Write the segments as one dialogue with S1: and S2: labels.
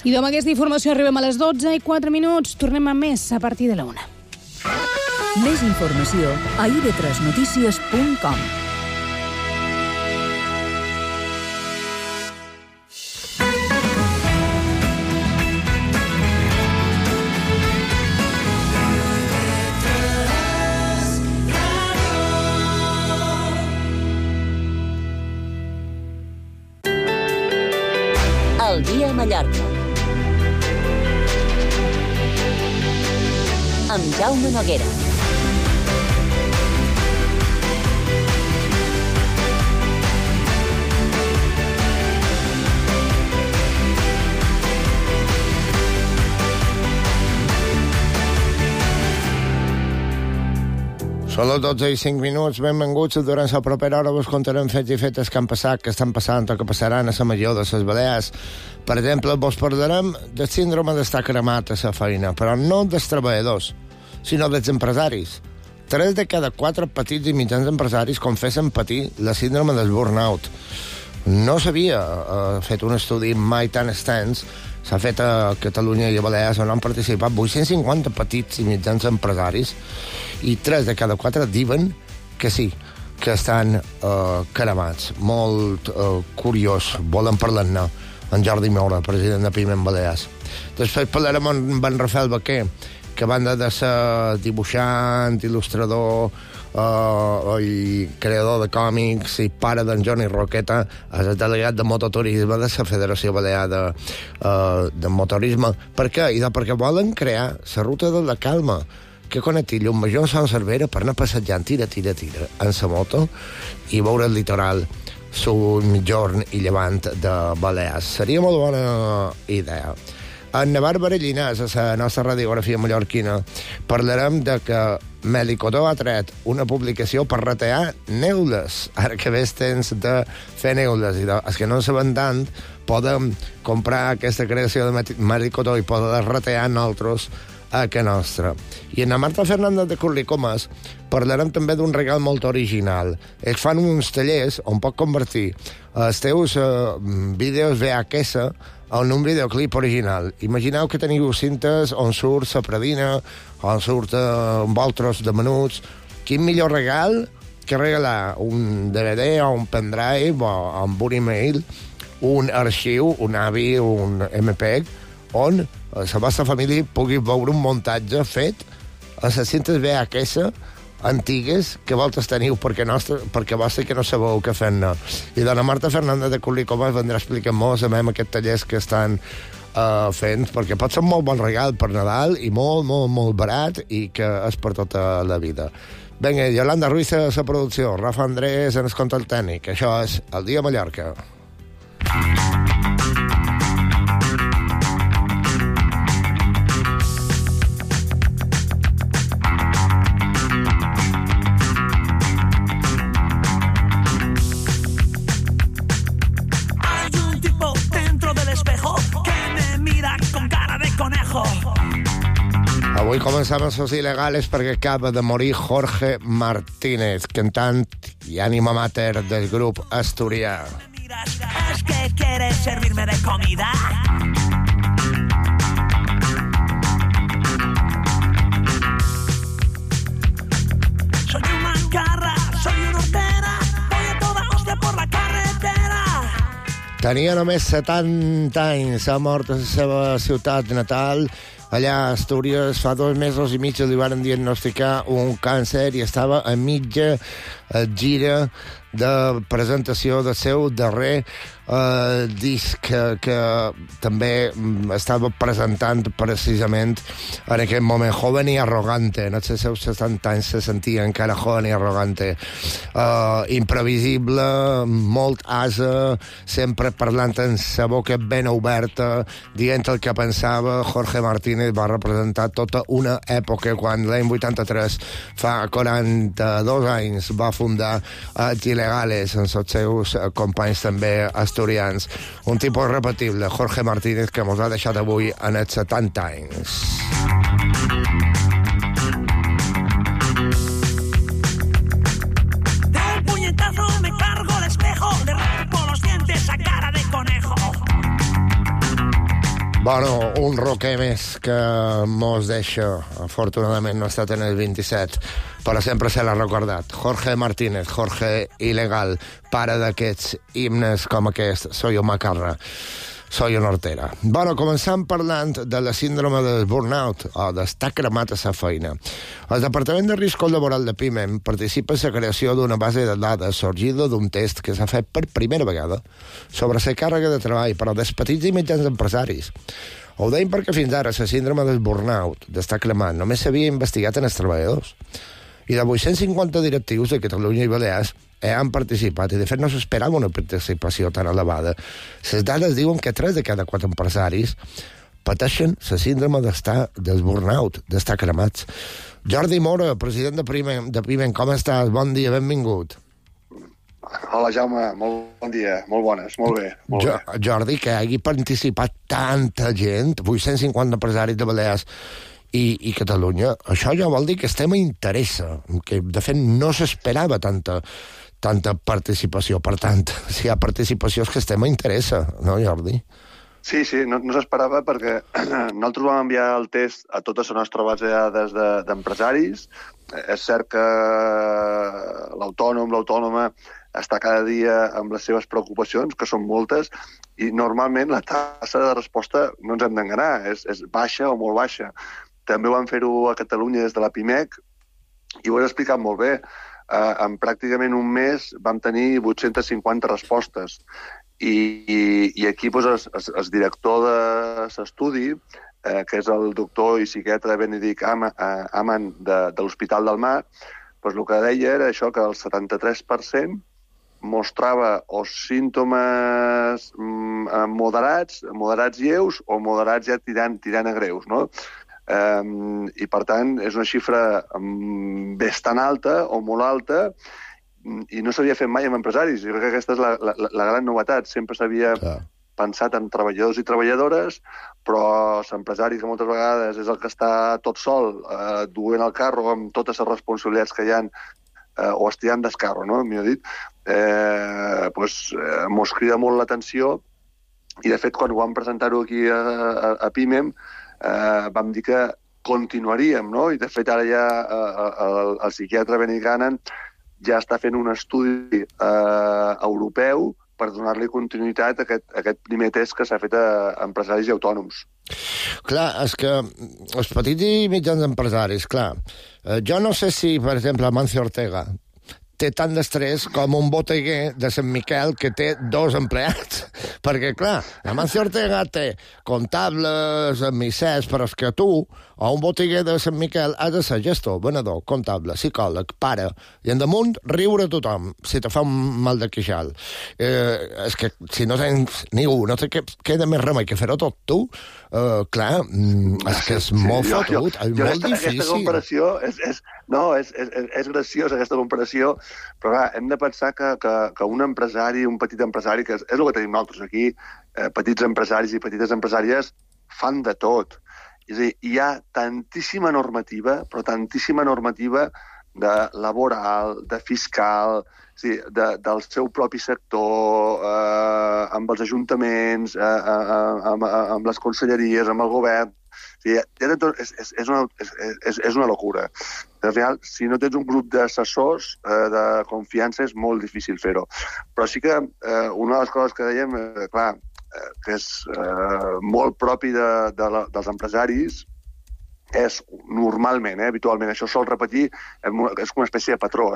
S1: I amb aquesta informació arribem a les 12:04. Tornem a més a partir de la 1.
S2: Més informació a ib3notícies.com.
S3: El dia a Mallorca. Amb Jaume Noguera.
S4: Són les 12:05, benvinguts. Durant la propera hora vos contarem fets i fetes que han passat, que estan passant o que passaran a la major de les Balears. Per exemple, vos parlarem del síndrome d'estar cremat a la feina, però no dels treballadors, sinó dels empresaris. 3 de cada 4 petits i mitjans empresaris confessen patir la síndrome del burnout. No s'havia fet un estudi mai tan extens. S'ha fet a Catalunya i a Balears, on han participat 850 petits i mitjans empresaris, i 3 de cada 4 diuen que sí, que estan cremats. Molt curiós. Volen parlar-ne en Jordi Moura, president de Piment Balears. Després parlarem amb en Rafael Baquer, que a banda de ser dibuixant, il·lustrador i creador de còmics i pare d'en Johnny Roqueta, és el delegat de mototurisme de la Federació Balear de Motorisme. Per què? Perquè volen crear la ruta de la calma, que connecti Llumajor amb Sant Cervera per anar passejant tira en la moto i veure el litoral sud, mitjorn i llevant de Balears. Seria molt bona idea. En Bàrbara Llinàs, a la nostra radiografia mallorquina, parlarem de que Melicodó ha tret una publicació per ratear neules. Ara que ves temps de fer neules i els que no en saben tant podem comprar aquesta creació de Melicodó i poder ratear nosaltres a que nostra. I en la Marta Fernández de Curricomas parlarem també d'un regal molt original. Ells fan uns tallers on pot convertir els teus vídeos VHS en un videoclip original. Imagineu que teniu cintes on surt la Pradina, on surt envoltros de menuts. Quin millor regal que regalar un DVD o un pendrive o amb un email, un arxiu, un AVI, un MPEG, on la vostra família pugui veure un muntatge fet a les cintes VHS antigues que vosaltres teniu perquè vostre que no sabeu què fer-ne. I dona Marta Fernández de Curricomas vendrà a explicar-nos aquests tallers que estan fent, perquè pot ser un molt bon regal per Nadal i molt, molt, molt barat i que és per tota la vida. Vinga, Yolanda Ruiz a la producció, Rafa Andrés en el control tècnic. Això és El Dia a Mallorca. Avui començam amb Sos Il·legales perquè acaba de morir Jorge Martínez, cantant i ànima mater del grup asturià.
S5: ¿Es que quieres servirme de comida? Soy un mancarra, soy una hortera, voy a toda hostia por la carretera.
S4: Tenia només 70 anys, ha mort a la seva ciutat natal. Allà a Astúries fa 2 mesos i mig li van diagnosticar un càncer i estava a mitja gira de presentació del seu darrer disc que també estava presentant precisament en aquest moment, Joven i Arrogante. En els seus 70 anys se sentia encara joven i arrogante, imprevisible, molt asa, sempre parlant amb la boca ben oberta, dient el que pensava. Jorge Martínez va representar tota una època quan l'any 83, fa 42 anys, va fundar els Il·legales amb els seus companys també asturians. Un tipus irrepetible, Jorge Martínez, que mos ha deixat avui en els 70 anys.
S5: De un puñetazo me cargo el espejo, le rompo los dientes a cara de conejo.
S4: Bueno, un roquer més que mos deixa, afortunadament no ha estat en el 27, però sempre se l'ha recordat. Jorge Martínez, Jorge Ilegal, pare d'aquests himnes com aquest, Soy un macarra, soy una hortera. Bueno, començant parlant de la síndrome del burnout, o d'estar cremat a sa feina. El Departament de Riscos Laboral de PIMEM participa en la creació d'una base de dades sorgida d'un test que s'ha fet per primera vegada sobre la càrrega de treball per als petits i mitjans empresaris. Ho deim perquè fins ara la síndrome del burnout, d'estar cremat, només s'havia investigat en els treballadors. I de 850 directius de Catalunya i Balears han participat, i de fet no s'esperava una participació tan elevada. Les dades diuen que 3 de cada 4 empresaris pateixen la síndrome del burnout, d'estar cremats. Jordi Mora, president de PIMEM, com estàs? Bon dia, benvingut.
S6: Hola, Jaume, molt bon dia, molt bones, molt bé.
S4: Jordi, que hagi participat tanta gent, 850 empresaris de Balears i Catalunya, això ja vol dir que el tema interessa, que de fet no s'esperava tanta participació. Per tant, si hi ha participació és que el tema interessa, no, Jordi?
S6: Sí, no s'esperava perquè nosaltres vam enviar el test a tota la nostra base de dades d'empresaris. És cert que l'autònoma està cada dia amb les seves preocupacions, que són moltes, i normalment la tassa de resposta, no ens hem d'enganar, és baixa o molt baixa. També vam fer-ho a Catalunya des de la PIMEC i ho has explicat molt bé. En pràcticament un mes vam tenir 850 respostes i aquí el director de l'estudi, que és el doctor i psiquiatre Benedict Aman de l'Hospital del Mar, el que deia era això, que el 73% mostrava o símptomes moderats lleus o moderats ja tirant a greus, no? I, per tant, és una xifra bastant alta o molt alta i no s'havia fet mai amb empresaris. Jo crec que aquesta és la gran novetat. Sempre s'havia pensat en treballadors i treballadores, però l'empresari, que moltes vegades és el que està tot sol, duent el carro amb totes les responsabilitats que hi ha, o estirant d'escarro, no? Millor dit, mos crida molt l'atenció i, de fet, quan ho vam presentar-ho aquí a PIMEM, vam dir que continuaríem, no? I de fet ara ja el psiquiatre Benedict Aman ja està fent un estudi europeu per donar-li continuïtat a aquest primer test que s'ha fet a empresaris i autònoms.
S4: Clar, és que els petits i mitjans empresaris, clar, jo no sé si, per exemple, Amancio Ortega té tant d'estrès com un botiguer de Sant Miquel que té 2 empleats. Perquè, clar, Amancio Ortega té comptables, missers, però és que tu, o un botiguer de Sant Miquel, has de ser gestor, venedor, comptable, psicòleg, pare, i en damunt riure a tothom, si te fa un mal de queixal. És que si no tens ningú, no té queda més remei que fer-ho tot tu, clar, és que és molt fotut, és molt difícil.
S6: Aquesta comparació és graciosa, aquesta comparació, però clar, hem de pensar que un empresari, un petit empresari, que és el que tenim nosaltres aquí, petits empresaris i petites empresàries, fan de tot. És a dir, hi ha tantíssima normativa, però tantíssima normativa de laboral, de fiscal, del seu propi sector, amb els ajuntaments, amb les conselleries, amb el govern. És una locura. Al final, si no tens un grup d'assessors de confiança, és molt difícil fer-ho. Però sí que una de les coses que dèiem, clar, que és molt propi dels empresaris, és normalment, habitualment, això sol repetir, és com una espècie de patró,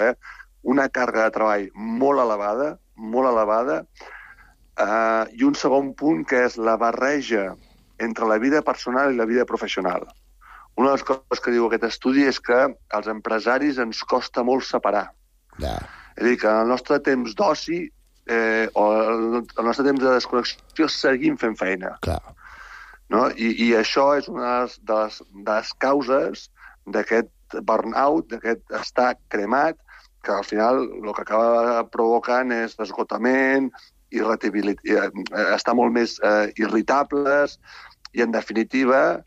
S6: una càrrega de treball molt elevada, i un segon punt que és la barreja entre la vida personal i la vida professional. Una de les coses que diu aquest estudi és que als empresaris ens costa molt separar. És a dir, que en el nostre temps d'oci o el nostre temps de desconnexió seguim fent feina. No? I això és una de les causes d'aquest burnout, d'aquest estar cremat, que al final el que acaba provocant és esgotament, estar molt més irritables i, en definitiva,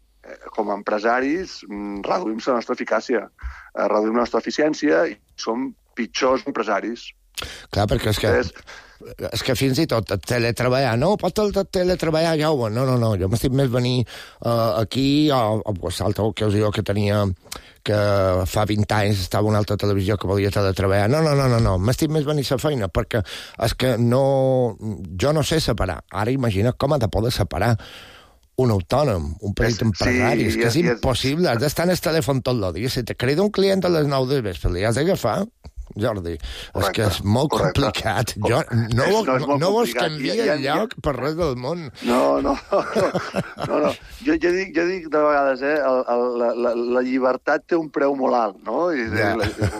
S6: com a empresaris, reduïm la nostra eficàcia, reduïm la nostra eficiència i som pitjors empresaris.
S4: Clar, perquè és que és que fins i tot teletreballar, no, pot teletreballar, ja ho... No, jo m'estic més venir aquí, o l'altra ocasió que tenia, que fa 20 anys estava una altra televisió que volia teletreballar. No, m'estic més venir a la feina, perquè és que jo no sé separar. Ara imagina com ha de poder separar un autònom, un petit empresari, és que és impossible, has d'estar en el telèfon tot el dia. Si te crida un client a les 9 del vespre, li has d'agafar, Jordi. És que és molt complicat. Jo no vos canvia el lloc per res del món.
S6: No. Jo dic de vegades, la llibertat té un preu molt alt, no?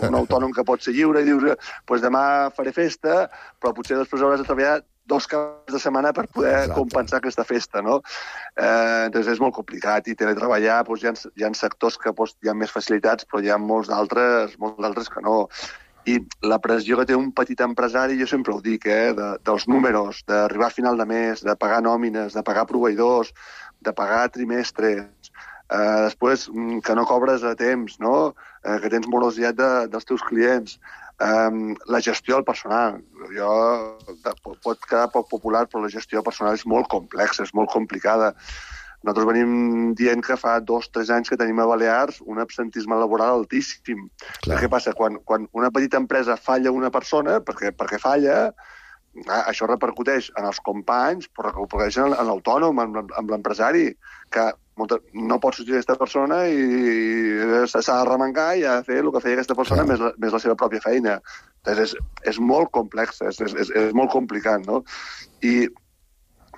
S6: Un autònom que pot ser lliure i dius, pues demà faré festa, però potser després hauràs de treballar 2 caps de setmana per poder compensar aquesta festa, no? Entonces és molt complicat, i teletreballar, hi ha sectors que hi ha més facilitats, però hi ha molts d'altres que no. I la pressió que té un petit empresari, jo sempre ho dic, dels números, d'arribar a final de mes, de pagar nòmines, de pagar proveïdors, de pagar trimestres, després que no cobres a temps, no? Que tens morositat dels teus clients, la gestió del personal. Pot quedar poc popular, però la gestió del personal és molt complexa, és molt complicada. Nosaltres venim dient que fa 2 o 3 anys que tenim a Balears un absentisme laboral altíssim. Què passa? Quan una petita empresa falla una persona, perquè falla, això repercuteix en els companys, però repercuteix en l'autònom, en l'empresari, que no pot sortir aquesta persona i s'ha de remengar i ha de fer el que feia aquesta persona més la seva pròpia feina. Entonces, és molt complex, és molt complicat, no? I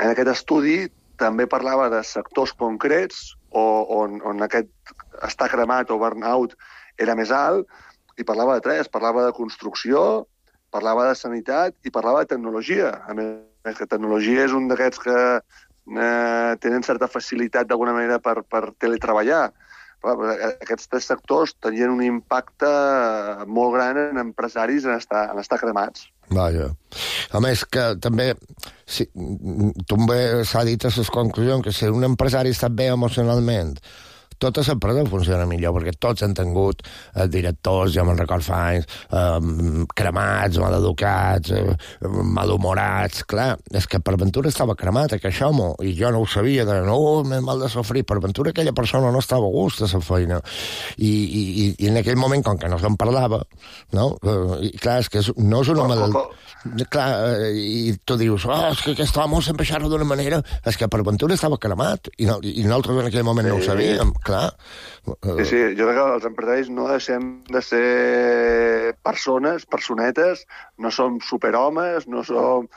S6: en aquest estudi també parlava de sectors concrets on aquest estar cremat o burnout era més alt, i parlava de 3. Parlava de construcció, parlava de sanitat i parlava de tecnologia. A més, que tecnologia és un d'aquests que tenen certa facilitat d'alguna manera per teletreballar. Aquests 3 sectors tenien un impacte molt gran en empresaris en estar cremats.
S4: Vaja. A més, que també també s'ha dit a les conclusions que si un empresari està bé emocionalment, tota l'empresa funciona millor, perquè tots han tingut directors, jo me'n record fa anys, cremats, maleducats, malhumorats. Clar, és que per ventura estava cremat aquest home, i jo no ho sabia, m'he mal de sofrir. Per ventura aquella persona no estava a gust a la feina. I en aquell moment, com que no se'n parlava, no? I clar, és que no és una malaltia. Clar, i tu dius, és que aquest home sempre xerra d'una manera, és que per ventura estava cremat, i nosaltres en aquell moment no ho sabíem, clar.
S6: Sí, jo crec que els empresaris no deixem de ser personetes, no som superhomes, no som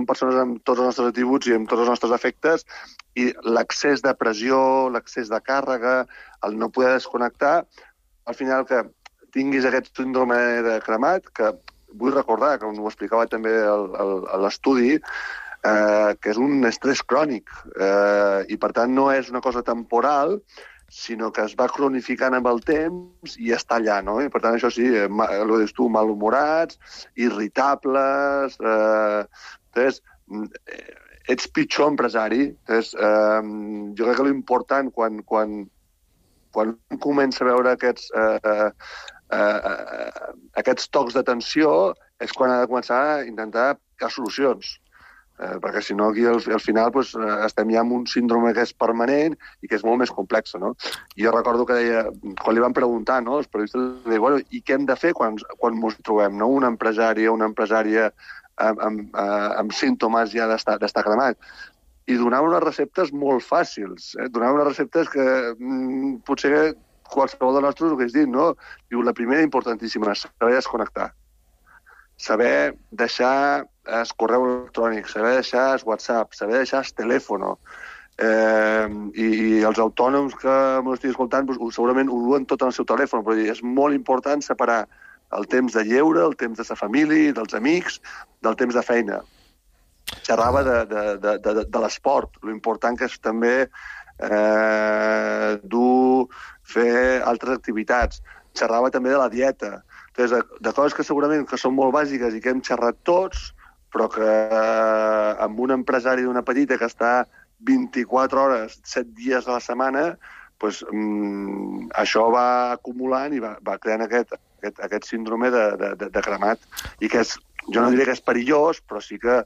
S6: persones amb tots els nostres atributs i amb tots els nostres efectes, i l'excés de pressió, l'excés de càrrega, el no poder desconnectar, al final que tinguis aquest síndrome de cremat, que vull recordar, que ho explicava també a l'estudi, que és un estrès crònic, i per tant no és una cosa temporal, sinó que es va cronificant amb el temps i està allà, no? I per tant això sí, el dius tu, malhumorats, irritables, ets pitjor empresari. Jo crec que l'important quan comença a veure aquests tocs de tensió és quan ha de començar a intentar buscar solucions. Perquè si no aquí al final estem ja amb un síndrome que és permanent i que és molt més complex, no? I jo recordo que deia, quan li van preguntar, no, els periodistes, bueno, i què hem de fer quan ens trobem, no? Un empresari o una empresària amb símptomes ja d'estar cremat. I donava unes receptes molt fàcils, donava unes receptes que potser qualsevol de nosaltres ho hagués dit, no? Diu, la primera importantíssima, saber desconnectar. Saber deixar el correu electrònic, saber deixar el WhatsApp, saber deixar el telèfon. I els autònoms que m'ho estic escoltant segurament ho duen tot en el seu telèfon, però és molt important separar el temps de lleure, el temps de la família, dels amics, del temps de feina. Xerrava de l'esport, l'important que és també fer altres activitats. Xerrava també de la dieta. De coses que segurament que són molt bàsiques i que hem xerrat tots, però que amb un empresari d'una petita que està 24 hores, 7 dies a la setmana, això va acumulant i va creant aquest síndrome de cremat, i que és jo no diré que és perillós, però sí que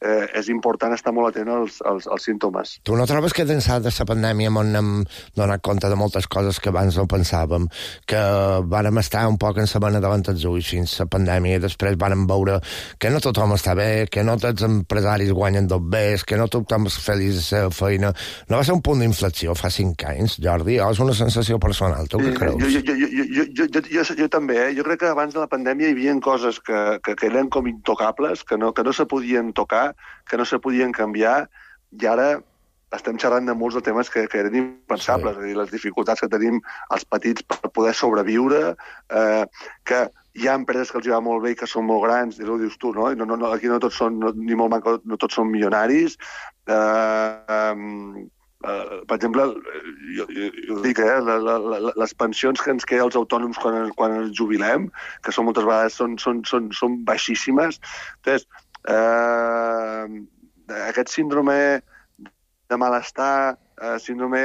S6: és important estar molt atent als símptomes.
S4: Tu no trobes que d'ençà de la pandèmia m'hem donat compte de moltes coses que abans no pensàvem, que vàrem estar un poc en la mena davant dels ulls fins la pandèmia i després vàrem veure que no tothom està bé, que no tots els empresaris guanyen tot bé, que no tothom és feliç de la feina. No va ser un punt d'inflexió fa 5 anys, Jordi? O és una sensació personal? Tu què creus?
S6: Jo també, Jo crec que abans de la pandèmia hi havia coses que eren com intocables, que no se podien tocar, que no se podien canviar, i ara estem xerrant de molts de temes que eren impensables, és a dir, les dificultats que tenim els petits per poder sobreviure, que hi ha empreses que els va molt bé i que són molt grans, i ho dius tu, no? Aquí no tots són, ni molt manco, no tots són milionaris. Per exemple, jo dic, les pensions que ens queden als autònoms quan ens jubilem, que són moltes vegades són baixíssimes. Entonces, aquest síndrome de malestar, síndrome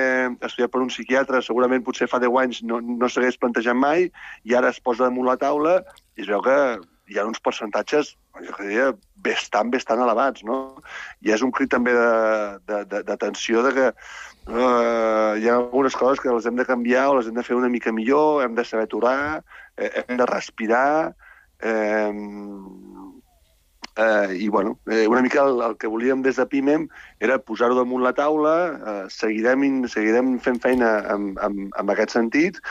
S6: estudiat per un psiquiatre, segurament potser fa 10 anys no s'hagués plantejat mai, i ara es posa damunt la taula i es veu que hi ha uns percentatges, jo diria, bastant elevats, no? I és un crit també d'atenció de que hi ha algunes coses que les hem de canviar o les hem de fer una mica millor, hem de saber aturar, hem de respirar, i bueno, una mica el que volíem des de PIMEM era posar-ho damunt la taula, seguirem fent feina en aquest sentit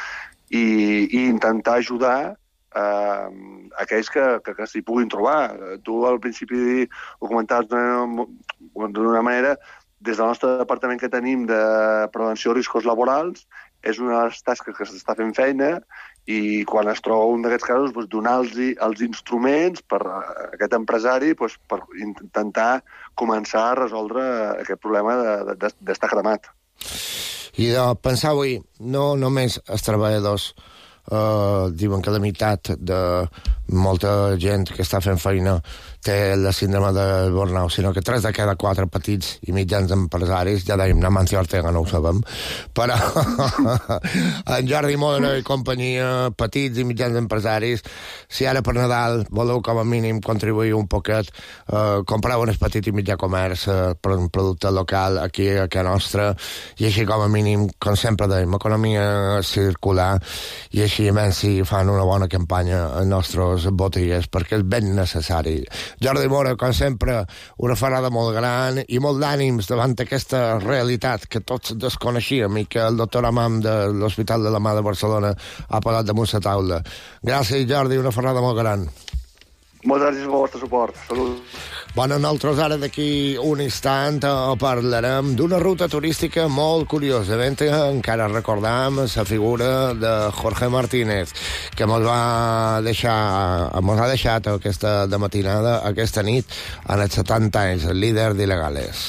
S6: i intentar ajudar aquells que s'hi puguin trobar. Tu al principi ho comentaves d'una manera, des del nostre departament que tenim de prevenció de riscos laborals, és una de les tasques que s'està fent feina, i quan es troba un d'aquests casos, donar-los els instruments per a aquest empresari per intentar començar a resoldre aquest problema d'estar cremat.
S4: I de pensar avui, no només els treballadors diuen que la meitat de molta gent que està fent feina té la síndrome de burnout, sinó que 3 de cada 4 petits i mitjans empresaris, ja dèiem, Amancio Ortega no ho sabem, però en Jordi Mora i companyia, petits i mitjans empresaris, si ara per Nadal voleu com a mínim contribuir un poquet, compreu un petit i mitjà comerç per un producte local aquí a casa nostra, i així com a mínim, com sempre dèiem, economia circular, i així menys si fan una bona campanya en nostres botigues, perquè és ben necessari. Jordi Mora, com sempre, una ferrada molt gran i molt d'ànims davant aquesta realitat que tots desconeixíem i que el doctor Amam de l'Hospital de la Mà de Barcelona ha posat damunt la taula. Gràcies, Jordi, una ferrada molt gran.
S6: Moltes gràcies pel vostre suport. Salut.
S4: Bueno, nosaltres ara d'aquí un instant parlarem d'una ruta turística molt curiosa. Encara recordam la figura de Jorge Martínez, que mos ha deixat aquesta de matinada, aquesta nit, en els 70 anys, el líder d'Il·legales.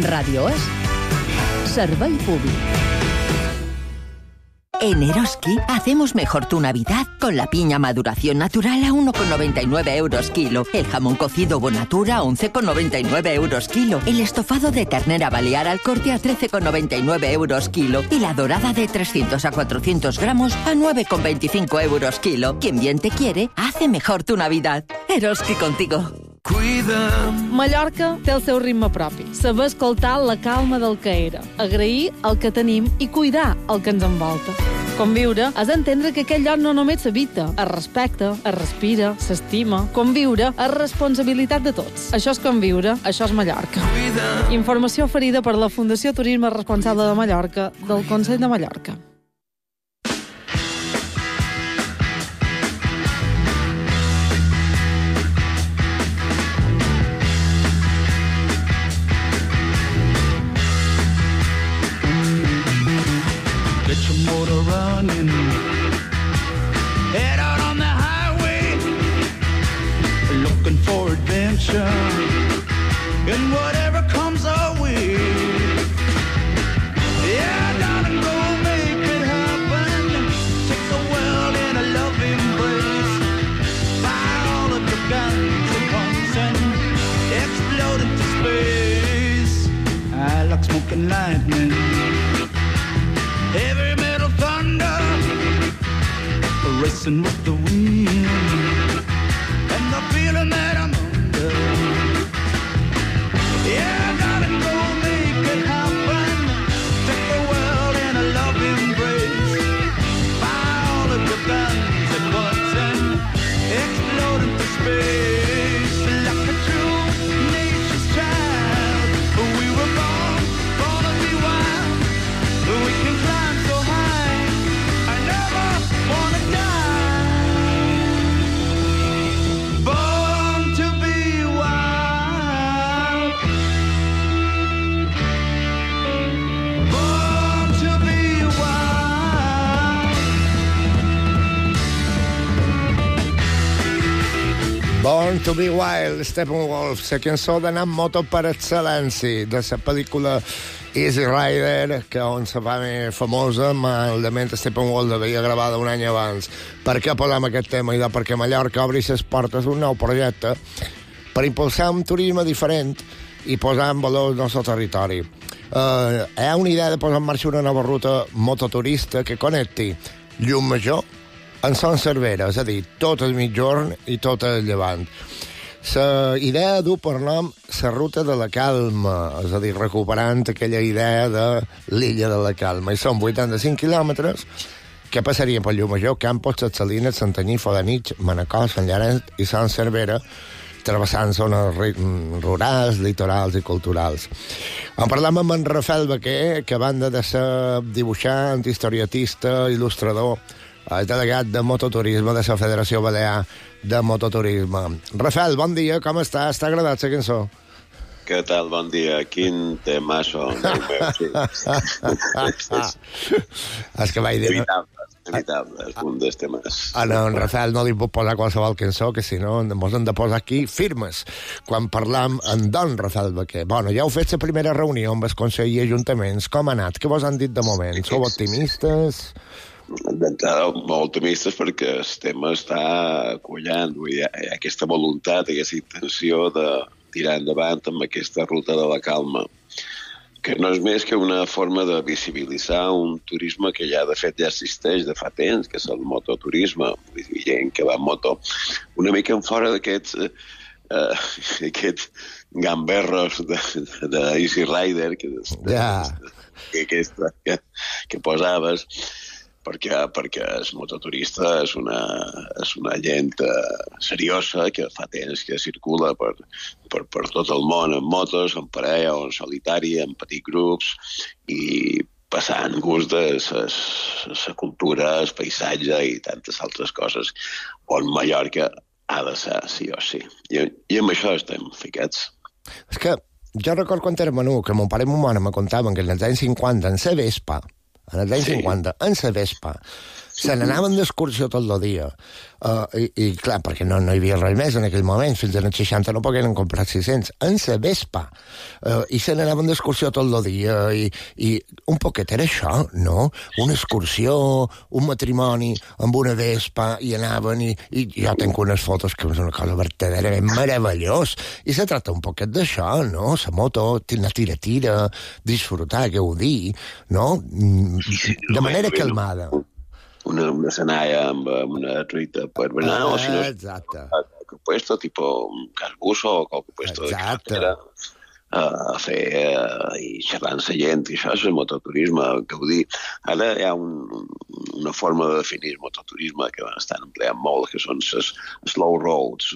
S2: Radio es Servei Públic. En Eroski hacemos mejor tu Navidad con la piña maduración natural a 1,99 euros kilo, el jamón cocido Bonatura a 11,99 euros kilo, el estofado de ternera balear al corte a 13,99 euros kilo y la dorada de 300 a 400 gramos a 9,25 euros kilo. Quien bien te quiere, hace mejor tu Navidad. Eroski contigo.
S1: Mallorca té el seu ritme propi. Saber escoltar la calma del que era, agrair el que tenim i cuidar el que ens envolta. Conviure és entendre que aquell lloc no només s'habita, es respecta, es respira, s'estima. Conviure és responsabilitat de tots. Això és conviure, això és Mallorca. Informació oferida per la Fundació Turisme Responsable de Mallorca del Consell de Mallorca.
S5: Motor running, head out on the highway, looking for
S7: adventure and whatever comes our way. Yeah, darling, go make it happen. Take the world in a loving embrace. Fire all of your guns and pumps and explode into space. I like smoke and lightning, heavy metal thunder, racing with the wind, and the feeling that I'm under. Yeah, darling, go make it happen. Take the world in a loving embrace. Fire all of your guns at once and explode into space. Like a true nature's child, we were born to be wild. We can climb so high, I never wanna die. Born to be wild. Born to be wild.
S4: Born to be Wild, Steppenwolf, la cançó d'anar amb moto per excel·lència, de la pel·lícula Easy Rider, que on se fa més famosa, malament Steppenwolf l'havia gravada un any abans. Per què parlem aquest tema? I perquè Mallorca obri les portes d'un nou projecte per impulsar un turisme diferent i posar en valor el nostre territori. Hi ha una idea de posar en marxa una nova ruta mototurista que connecti Llucmajor en Son Cervera, és a dir, tot el mitjorn i tot el llevant. La idea du per nom la ruta de la calma, és a dir, recuperant aquella idea de l'illa de la calma. I són 85 quilòmetres que passarien per Llucmajor, Campos, Ses Salines, Santanyí, Fodanich, Manacor, Sant Llorenç i Son Cervera, travessant zones rurals, litorals i culturals. En parlam amb en Rafael Baquer, que a banda de ser dibuixant, historietista, il·lustrador, el delegat de mototurisme de la Federació Balear de Mototurisme. Rafael, bon dia, com estàs? T'ha agradat la cançó?
S8: Què tal? Bon dia. Quin temasso.
S4: És que vaig dir...
S8: Evitable, és un dels temes.
S4: No, en Rafael no li puc posar qualsevol cançó, que si no ens hem de posar aquí firmes quan parlam amb don Rafael Baquer. Bueno, ja heu fet la primera reunió amb el Consell i Ajuntaments. Com ha anat? Què vos han dit de moment? Sou optimistes?
S8: D'entrada, molt optimistes perquè el tema està collant. Hi ha aquesta voluntat, aquesta intenció de tirar endavant amb aquesta ruta de la calma, que no és més que una forma de visibilitzar un turisme que ja, de fet, ja existeix de fa temps, que és el mototurisme. Vull dir, gent que va en moto una mica en fora d'aquests gamberros de Easy Rider que posaves, perquè el mototurista és una gent seriosa que fa temps que circula per tot el món en motos, en parella o en solitari, en petits grups, i passant gust de la cultura, el paisatge i tantes altres coses on Mallorca ha de ser, sí o sí. I amb això estem ficats.
S4: És que jo recordo quan era menut, que mon pare i mon mare me contaven que en els anys 50, en la Vespa, en els anys 50, en la Vespa, se n'anaven d'excursió tot el dia. I clar, perquè no hi havia res més en aquell moment, fins als 60 no pogueren comprar 600, en la Vespa. I se n'anaven d'excursió tot el dia. I un poquet era això, no? Una excursió, un matrimoni amb una Vespa, i anaven, i jo tenc unes fotos que és una cosa verdaderament meravellós. I se tracta un poquet d'això, no? La moto, la tira, disfrutar, gaudir, no? De manera calmada.
S8: Una senalla amb una truita per berenar, o si no, qualque puesto, tipo un casbuso o qualque puesto de carretera, a fer i xerrar amb la gent, i això és el mototurisme, gaudir. Ara hi ha una forma de definir el mototurisme que estan empleant molt, que són les slow roads,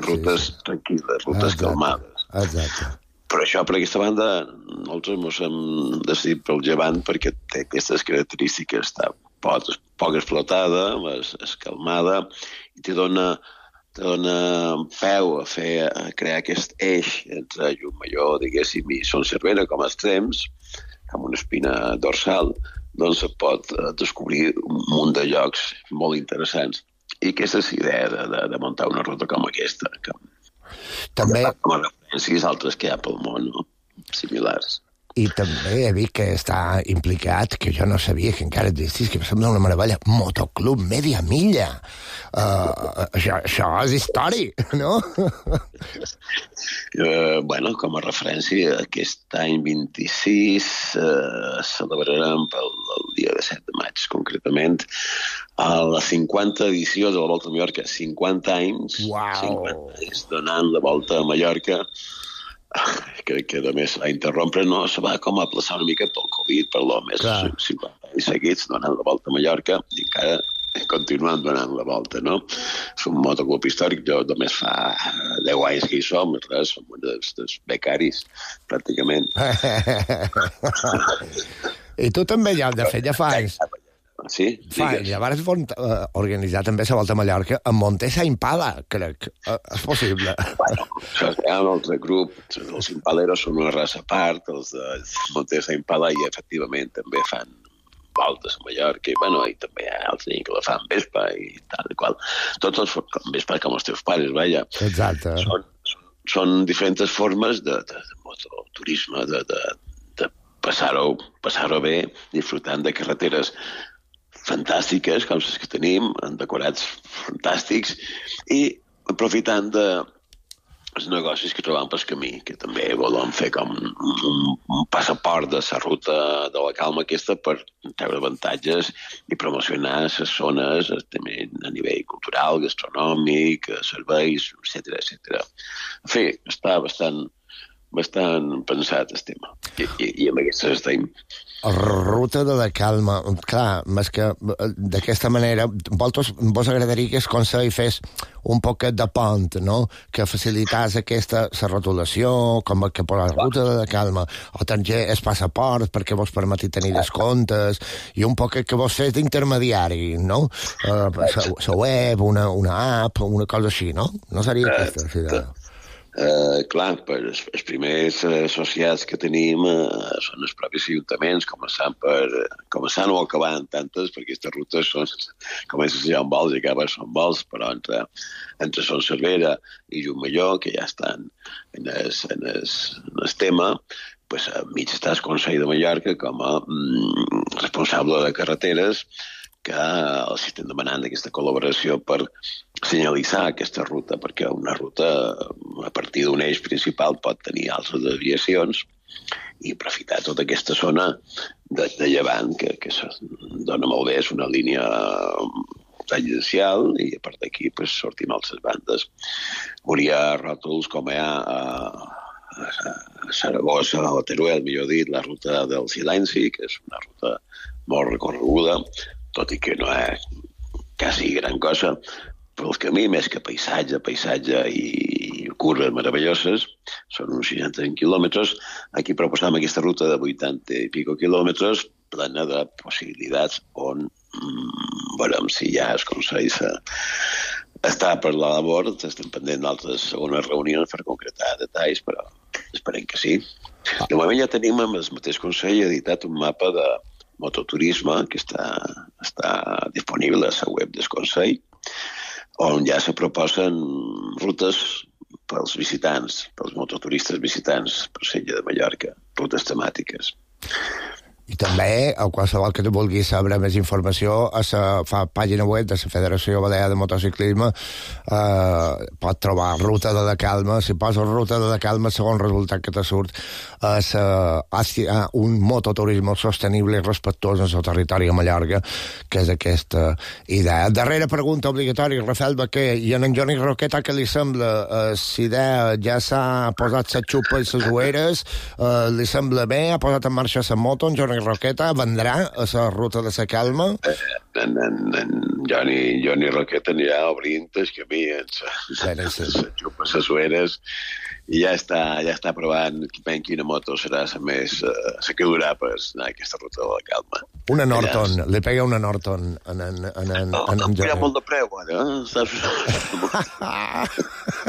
S8: rutes tranquil·les, rutes calmades.
S4: Exacte.
S8: Per això, per aquesta banda, nosaltres ens hem decidit pel Llevant perquè té aquestes característiques, està poc explotada, és calmada, i te dona peu a crear aquest eix entre Llucmajor, diguéssim, i Son Cervera com a extrems, amb una espina dorsal, doncs se pot descobrir un munt de llocs molt interessants. I aquesta és la idea de muntar una ruta com aquesta, que
S4: També...
S8: Com a referències altres que hi ha pel món, no? Similars.
S4: I també he vist que està implicat, que jo no sabia que encara existís, que em sembla una meravella, Motoclub Media Milla. Això és històric, no?
S8: Bueno, com a referència, aquest any 26 celebrarem pel dia de 7 de maig, concretament, a la 50 edició de la Volta a Mallorca. 50 anys,
S4: Uau.
S8: 50 anys donant la Volta a Mallorca. Crec que només a interrompre no se va com a aplaçar una mica pel Covid, per l'home, 50 anys seguits donant la Volta a Mallorca i encara continuant donant la volta, no? És un motoclub històric, jo només fa 10 anys que hi som, res, som dels becaris, pràcticament.
S4: I tu també ja, de fet, ja fa anys.
S8: Sí?
S4: Fa anys, llavors organitzar també la Volta a Mallorca amb Montesa Impala, crec. És possible.
S8: Bueno, això hi ha un altre grup, els impaleros són una raça a part, els de Montesa Impala, i efectivament també fan voltes a Mallorca, i, bueno, i també hi ha altres que la fan Vespa i tal i qual. Tots els Vespa com els teus pares, vaja.
S4: Exacte.
S8: Són diferents formes de mototurisme, de passar-ho bé, disfrutant de carreteres fantàstiques, com les que tenim, amb decorats fantàstics, i aprofitant dels negocis que trobam pel camí, que també volem fer com un passaport de la ruta de la calma aquesta per treure avantatges i promocionar les zones també a nivell cultural, gastronòmic, serveis, etc. En fi, està bastant pensat el tema. I amb aquestes estem.
S4: Ruta de la calma. Clar, més que d'aquesta manera, vos agradaria que el Consell fes un poquet de pont, no? Que facilitàs la rotulació, com que per la ruta de la calma, o també el passaport perquè vos permeti tenir descomptes, i un poquet que vos fes d'intermediari, no? La web, una app, una cosa així, no? No seria aquesta, sí,
S8: clar, els primers associats que tenim són els propis ajuntaments, començant o acabant tantes, perquè aquestes rutes comencen ja amb vols i acaben són vols, però entre Son Cervera i Llucmajor, que ja estan en el tema, pues, mig està el Consell de Mallorca com a responsable de carreteres, que els estem demanant aquesta col·laboració per senyalitzar aquesta ruta, perquè una ruta a partir d'un eix principal pot tenir altres desviacions i aprofitar tota aquesta zona de llevant, que dona molt bé, és una línia tangencial, i a part d'aquí pues, sortim a altres bandes. Hauria ròtols com hi ha a Saragossa, a Teruel, millor dit, la ruta del Silenci, que és una ruta molt recorreguda, tot i que no és quasi gran cosa, però el camí, més que paisatge i curves meravelloses, són uns 65 quilòmetres. Aquí proposam aquesta ruta de 80 i pico quilòmetres, plena de possibilitats on veurem si ja es Consell està per la labor, estem pendent d'altres segones reunions per concretar detalls, però esperem que sí. De moment ja tenim amb el mateix Consell editat un mapa de mototurisme que està disponible a la web del Consell, on ja se proposen rutes pels visitants, pels mototuristes visitants per Sella de Mallorca, rutes temàtiques.
S4: I també, a qualsevol que vulgui saber més informació, a la pàgina web de la Federació Balear de Motociclisme pot trobar Ruta de la Calma. Si poses Ruta de la Calma, el segon resultat que te surt és un mototurisme sostenible i respectuós en el territori a Mallorca, que és aquesta idea. Darrera pregunta obligatòria, Rafael Baquer, i en Johnny Roqueta, què li sembla? La idea ja s'ha posat la xupa i les ueres, li sembla bé? Ha posat en marxa la moto, en Johnny Roqueta vendrà a la ruta de la calma?
S8: Johnny Roqueta anirà obrint el camí en les ueres, i ja està provant quina moto serà la que durà per anar a aquesta ruta de la calma.
S4: Una Norton, li pega una Norton en Johnny.
S8: Hi ha molt de preu, ara.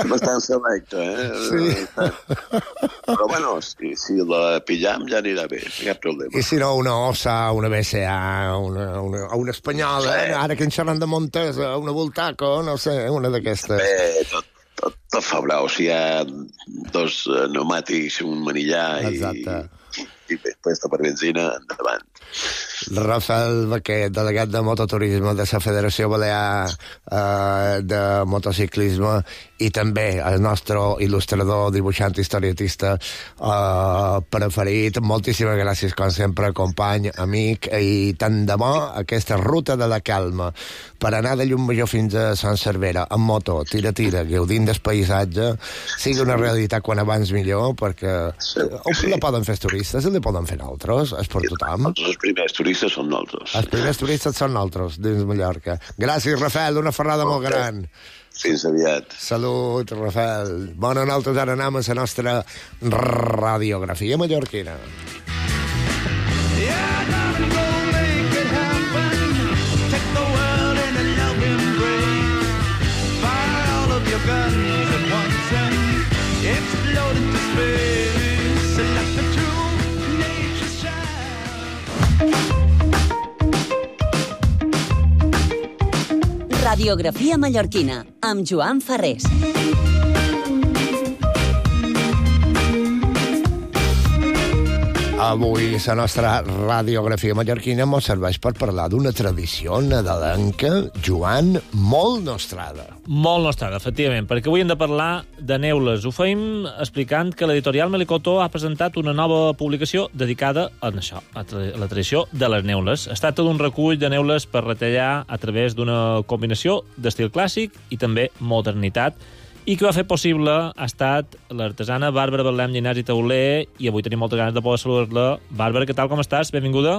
S8: Bastant selecte,
S4: Sí.
S8: Però bueno, si la pillam ja anirà bé, cap problema.
S4: I si no, una Ossa, una BCA, una espanyola, ara que en xerran de Montesa, una Voltaco, no sé, una d'aquestes.
S8: Bé, tot fa brau. Si hi ha dos pneumàtics, un manillar i pesta per benzina, endavant.
S4: Rafael Baquer, delegat de mototurisme de la Federació Balear de Motociclisme i també el nostre il·lustrador, dibuixant, historietista preferit. Moltíssimes gràcies, com sempre, company, amic, i tant de bo aquesta ruta de la calma per anar de Llumajor fins a Sant Cervera amb moto, tira, gaudint del paisatge, sigui una realitat quan abans millor, perquè la poden fer els turistes i la poden fer nosaltres, és per tothom.
S8: Els primers turistes són nosaltres.
S4: Els primers turistes són nosaltres, dins Mallorca. Gràcies, Rafael, una ferrada molt gran.
S8: Fins aviat.
S4: Salut, Rafael. Bueno, nosaltres ara anem a la nostra radiografia mallorquina.
S3: Radiografia mallorquina, amb Joan Ferrés.
S4: Avui la nostra radiografia mallorquina ens serveix per parlar d'una tradició nadalenca, Joan, molt nostrada.
S9: Molt nostrada, efectivament, perquè avui hem de parlar de neules. Ho feim explicant que l'editorial Melicotó ha presentat una nova publicació dedicada a això, a la tradició de les neules. Es tracta d'un recull de neules per retallar a través d'una combinació d'estil clàssic i també modernitat, i que va fer possible ha estat l'artesana Bàrbara Betlem Llinàs i Tauler, i avui tenim moltes ganes de poder saludar-la. Bàrbara, què tal, com estàs? Benvinguda.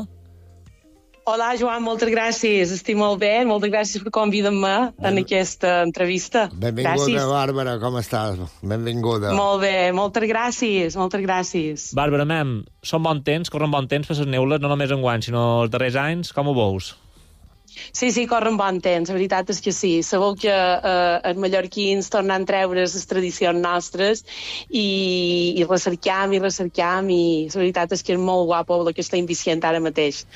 S10: Hola, Joan, moltes gràcies. Estic molt bé, moltes gràcies per convidar-me en aquesta entrevista.
S4: Benvinguda, gràcies. Bàrbara, com estàs? Benvinguda.
S10: Molt bé, moltes gràcies, moltes gràcies.
S9: Bàrbara, són bon temps, corren bon temps per les neules, no només enguany, sinó els darrers anys. Com ho veus?
S10: Sí, corren bon temps, la veritat és que sí. Sabeu que els mallorquins tornen a treure les tradicions nostres i recercam, i la veritat és que és molt guapo el que estem visient ara mateix.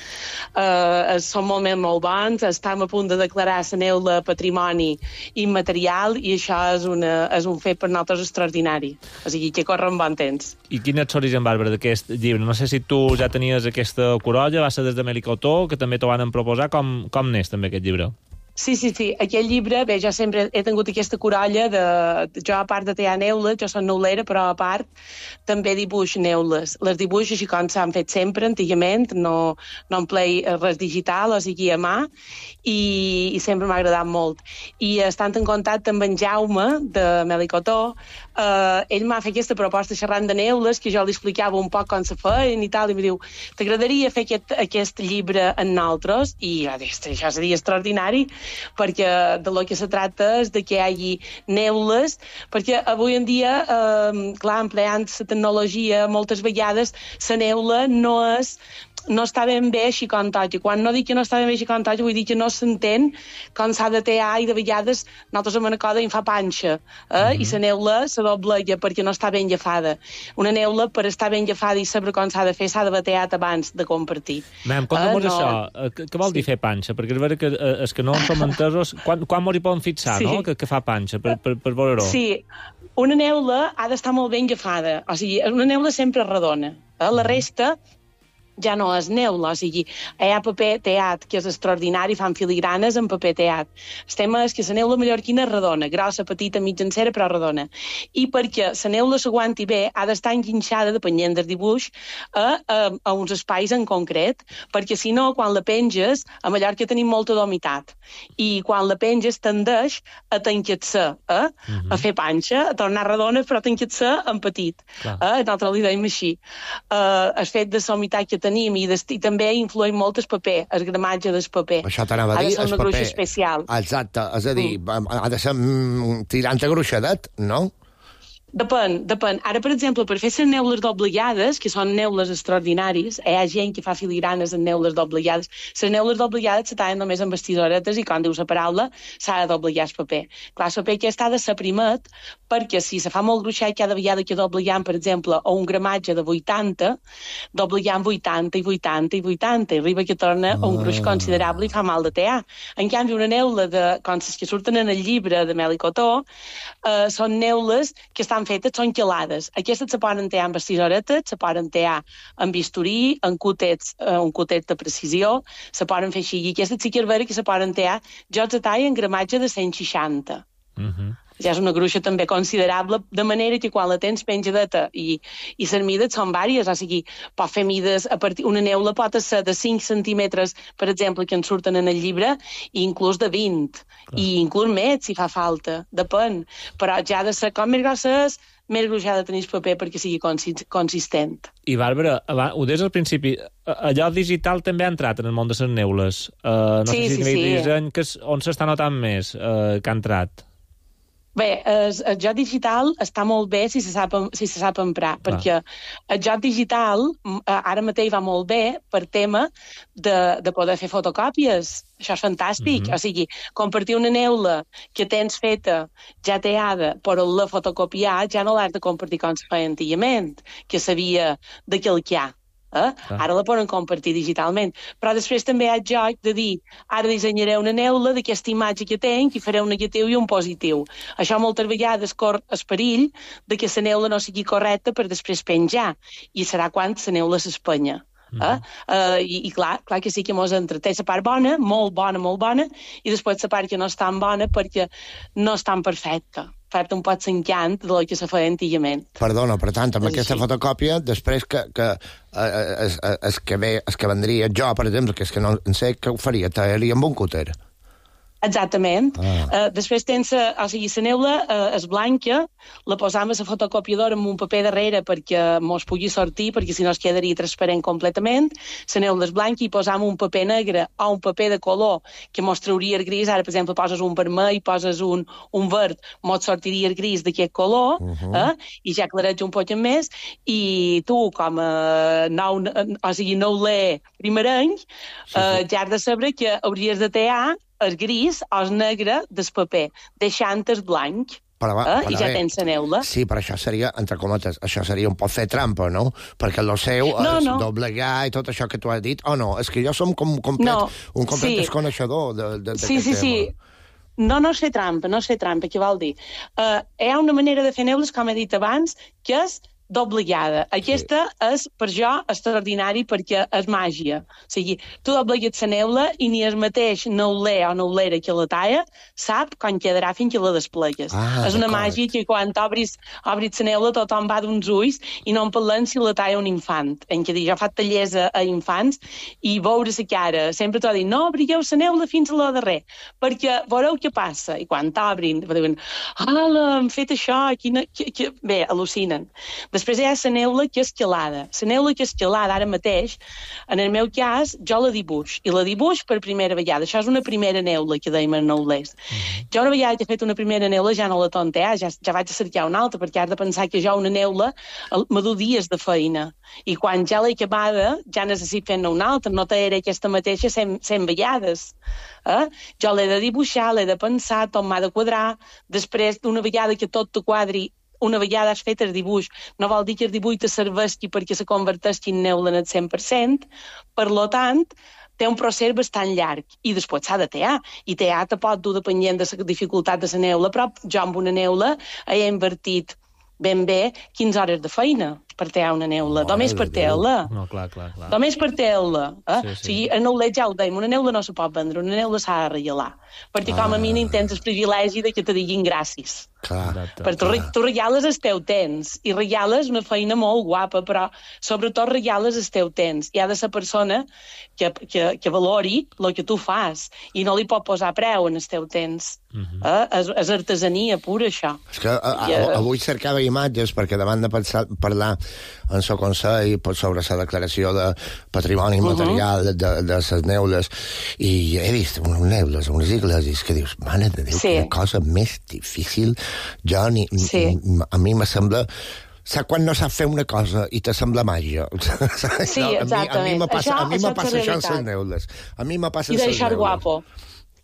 S10: Són molt bons, estem a punt de declarar la neula patrimoni immaterial i això és un fet per nosaltres extraordinari. O sigui que corren bon temps.
S9: I quin és l'origen, Bàrbara, d'aquest llibre? No sé si tu ja tenies aquesta corolla, va ser des de Melicotó, que també t'ho van proposar. Com n'és també aquest llibre?
S10: Sí. Aquest llibre, bé, jo sempre he tingut aquesta corolla jo a part de tallar neules, jo soc neulera, però a part també dibuix neules. Les dibuix així com s'han fet sempre, antigament, no emplei res digital, o sigui a mà, i sempre m'ha agradat molt. I estant en contacte amb en Jaume, de Melicotó, ell m'ha fet aquesta proposta xerrant de neules, que jo li explicava un poc com se feien i tal, i em diu, t'agradaria fer aquest llibre en nosaltres? I jo dic, això seria extraordinari, perquè de lo que se tracta és de que hi hagi neules, perquè avui en dia, clar, empleant la tecnologia, moltes vegades la neula no està ben bé així com tot. I quan no dic que no està ben bé així com tot, vull dir que no s'entén com s'ha de tallar i de vegades nosaltres amb una coda em fa panxa. I la neula se doblega perquè no està ben llafada. Una neula, per estar ben llafada i saber com s'ha de fer, s'ha de batear abans de compartir.
S9: Conta'm això. Què vol dir fer panxa? Perquè és vera que és que no som entesos. Quan m'ho hi poden fixar, no? Que fa panxa, per veure-ho.
S10: Sí, una neula ha d'estar molt ben llafada. O sigui, una neula sempre redona. La resta ja no és neula, o sigui, hi ha paper teat, que és extraordinari, fan filigranes en paper teat. El tema és que la neula mallorquina és redona, grossa, petita, mitjancera, però redona. I perquè la neula s'aguanti bé, ha d'estar enguinxada, depenent del dibuix, a uns espais en concret, perquè si no, quan la penges, a Mallorca tenim molta humitat, i quan la penges tendeix a tancar-se, a fer panxa, a tornar redona, però tancar-se en petit. Nosaltres li dèiem així. El fet de la humitat que tenim i també influeix molt el paper, el gramatge del paper.
S4: Això t'anava a dir,
S10: ha de ser una gruixa especial.
S4: Exacte, és a dir, ha de ser tirant a gruixadet, no?
S10: Depèn. Ara, per exemple, per fer les neules doblegades, que són neules extraordinaris, hi ha gent que fa filigranes en neules doblegades. Les neules doblegades se tallen només amb bestisoretes i, com diu la paraula, s'ha de doblegar el paper. Clar, el paper aquest ha de ser primet, perquè si se fa molt gruixat cada vegada que doblegam, per exemple, a un gramatge de 80, doblegam 80 i 80 i 80, i arriba que torna a un gruix considerable i fa mal de tear. En canvi, una neula, com les que surten en el llibre de Mel i Cotó, són neules que estan fetes, són quelades. Aquestes se poden tear amb bestisoretes, se poden tear amb bisturí, amb un cotet de precisió, se poden fer així. I aquestes sí que és vera que se poden tear. Jo els tallo en gramatge de 160. Ja és una gruixa també considerable, de manera que quan la tens penjadeta i les mides són vàries, o sigui, pot fer mides, una neula pot ser de 5 centímetres, per exemple, que en surten en el llibre, i inclús de 20, i inclús més, si fa falta, depèn. Però ja ha de ser com més grosses, més gruix ha de tenir el paper perquè sigui consistent.
S9: I, Bàrbara, ho deies al principi, allò digital també ha entrat en el món de les neules. No sé si a nivell de disseny, on s'està notant més que ha entrat?
S10: Bé, el joc digital està molt bé si se sap emprar, perquè el joc digital ara mateix va molt bé per tema de poder fer fotocòpies. Això és fantàstic. O sigui, compartir una neula que tens feta, ja teada, però la fotocopiar ja no l'has de compartir com se feia antigament, que sabia de calcar. Ara la poden compartir digitalment, però després també hi ha el joc de dir, ara dissenyaré una neula d'aquesta imatge que tenc i faré un negatiu i un positiu. Això moltes vegades cor el perill de que la neula no sigui correcta per després penjar, i serà quan la neula s'espenya. I clar que sí que mos entreté la part bona, molt bona, i després la part que no és tan bona perquè no és tan perfecta. Fer-te un pot l'encant del que se feia antigament.
S4: Perdona, per tant, amb aquesta fotocòpia, després que vendria jo, per exemple, que és que no en sé què ho faria, tallaria amb un cúter.
S10: Exactament. Després tens, o sigui, la neula és blanca, la posam a la fotocopiadora amb un paper darrere perquè mos pugui sortir, perquè si no es quedaria transparent completament. La neula és blanca i posam un paper negre o un paper de color que mos trauria el gris. Ara, per exemple, poses un vermell, poses un verd, mos sortiria el gris d'aquest color, i ja aclareig un poc més, i tu, com a neuler primerenc, ja has de saber que hauries de tear el gris o el negre del paper, deixant el blanc. I ja tens la neula.
S4: Sí, però això seria, entre cometes, això seria un poc fer trampa, no? Perquè el seu és doblegar i tot això que tu has dit, o no? És que jo som un complet desconeixedor d'aquest tema. Sí.
S10: No sé trampa, què vol dir? Hi ha una manera de fer neules, com he dit abans, que és doblegada. Aquesta és, per jo, extraordinari perquè és màgia. O sigui, tu doblegues la neula i ni el mateix neuler o neulera que la talla sap com quedarà fins que la desplegues. És una màgia que quan obris la neula tothom va d'uns ulls i no en parlem si la talla un infant. En què jo fa tallers a infants i veure la cara. Sempre t'ho dic, no obrigueu la neula fins a la darrer, perquè veureu què passa. I quan t'obrin, diuen, hem fet això, bé, al·lucinen. Després hi ha la neula que és quelada. La neula que és quelada, ara mateix, en el meu cas, jo la dibuix. I la dibuix per primera vegada. Això és una primera neula que dèiem en neulers. Jo una vegada que he fet una primera neula ja no la tontear, ja vaig a cercar una altra, perquè has de pensar que jo una neula me du dies de feina. I quan ja l'he acabada, ja necessito fer-ne una altra. No t'era aquesta mateixa 100 vegades. Jo l'he de dibuixar, l'he de pensar, tot m'ha de quadrar. Després, d'una vegada que tot te quadri, una vegada has fet el dibuix, no vol dir que el dibuix te serveixi perquè se converteixi en neula en el 100%, per tant, té un procés bastant llarg i després s'ha de tear. I tear te pot dur depenent de la dificultat de la neula, però jo amb una neula he invertit ben bé 15 hores de feina per tear una neula, només per tear-la.
S9: No, clar.
S10: Només per tear-la. O sigui, el neuler ja ho dèiem, una neula no se pot vendre, una neula s'ha de regalar, perquè com a mínim tens el privilegi de que te diguin gràcies. Perquè tu regales el teu temps i regales una feina molt guapa, però sobretot regales el teu temps. Hi ha de ser persona que valori el que tu fas i no li pot posar preu en el teu temps. És artesania pura, això.
S4: És que avui cercava imatges perquè davant de parlar en el Consell sobre la declaració de patrimoni material de les neules, i he vist unes neules, unes iglesis, que dius, mare de Déu, quina cosa més difícil. A mi me sembla... Saps quan no saps fer una cosa i te sembla màgia?
S10: Sí, exactament.
S4: A mi me passa això en les neules. A mi me passa
S10: I deixar guapo.